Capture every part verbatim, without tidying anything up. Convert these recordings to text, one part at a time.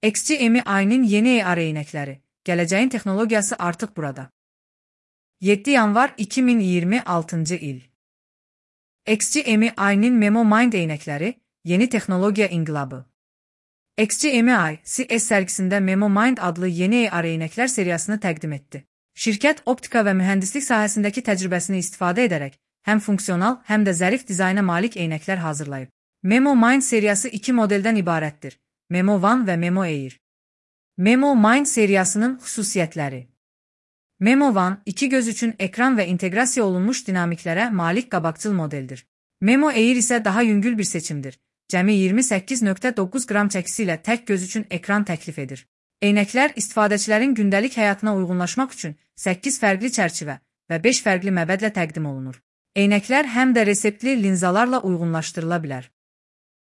X G M I'nin yeni A R eynəkləri. Gələcəyin texnologiyası artıq burada. yeddi yanvar iki min iyirmi altıncı il. X G M I'nin MemoMind eynəkləri, yeni texnologiya inqilabı. X G M I, C E S sərgisində MemoMind adlı yeni A R eynəklər seriyasını təqdim etdi. Şirkət optika və mühəndislik sahəsindəki təcrübəsini istifadə edərək, həm funksional, həm də zərif dizayna malik eynəklər hazırlayıb. MemoMind seriyası iki modeldən ibarətdir: Memo One və Memo Air. MemoMind seriyasının xüsusiyyətləri. Memo One, iki göz üçün ekran və inteqrasiya olunmuş dinamiklərə malik qabaqcıl modeldir. Memo Air isə daha yüngül bir seçimdir. Cəmi iyirmi səkkiz nöqtə doqquz qram çəkisi ilə tək göz üçün ekran təklif edir. Eynəklər istifadəçilərin gündəlik həyatına uyğunlaşmaq üçün səkkiz fərqli çərçivə və beş fərqli məbədlə təqdim olunur. Eynəklər həm də reseptli linzalarla uyğunlaşdırıla bilər.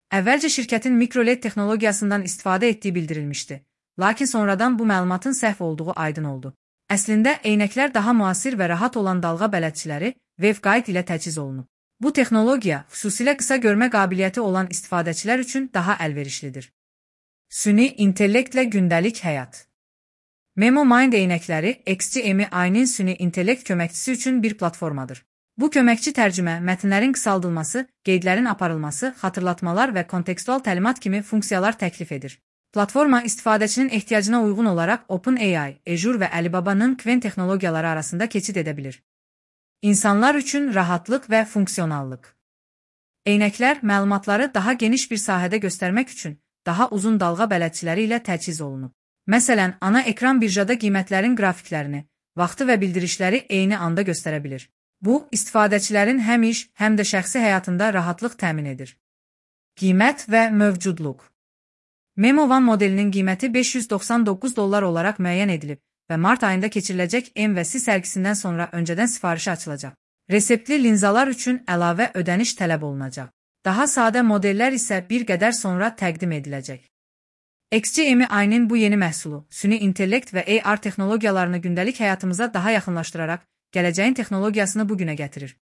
Əvvəlcə şirkətin mikroLED texnologiyasından istifadə etdiyi bildirilmişdi, lakin sonradan bu məlumatın səhv olduğu aydın oldu. Əslində, eynəklər daha müasir və rahat olan dalğa bələdçiləri waveguide ilə təchiz olunub. Bu texnologiya xüsusilə qısa görmə qabiliyyəti olan istifadəçilər üçün daha əlverişlidir. Süni intellektlə gündəlik həyat. MemoMind eynəkləri X G M I'nin süni intellekt köməkçisi üçün bir platformadır. Bu köməkçi tərcümə, mətnlərin qısaldılması, qeydlərin aparılması, xatırlatmalar və kontekstual təlimat kimi funksiyalar təklif edir. Platforma istifadəçinin ehtiyacına uyğun olaraq OpenAI, Azure və Alibaba'nın Qwen texnologiyaları arasında keçid edə bilir. İnsanlar üçün rahatlıq və funksionallıq. Eynəklər məlumatları daha geniş bir sahədə göstərmək üçün daha uzun dalğa bələdçiləri ilə təchiz olunub. Məsələn, ana ekran birjada qiymətlərin qrafiklərini, vaxtı və bildirişləri eyni anda göstərə bilir. Bu, istifadəçilərin həm iş, həm də şəxsi həyatında rahatlıq təmin edir. Qiymət və mövcudluq. Memo One modelinin qiyməti beş yüz doxsan doqquz dollar olaraq müəyyən edilib və mart ayında keçiriləcək M və C sərgisindən sonra öncədən sifarişi açılacaq. Reseptli linzalar üçün əlavə ödəniş tələb olunacaq. Daha sadə modellər isə bir qədər sonra təqdim ediləcək. X G M I'nin bu yeni məhsulu, süni intellekt və A R texnologiyalarını gündəlik həyatımıza daha yaxınlaşdıraraq, gələcəyin texnologiyasını bugünə gətirir.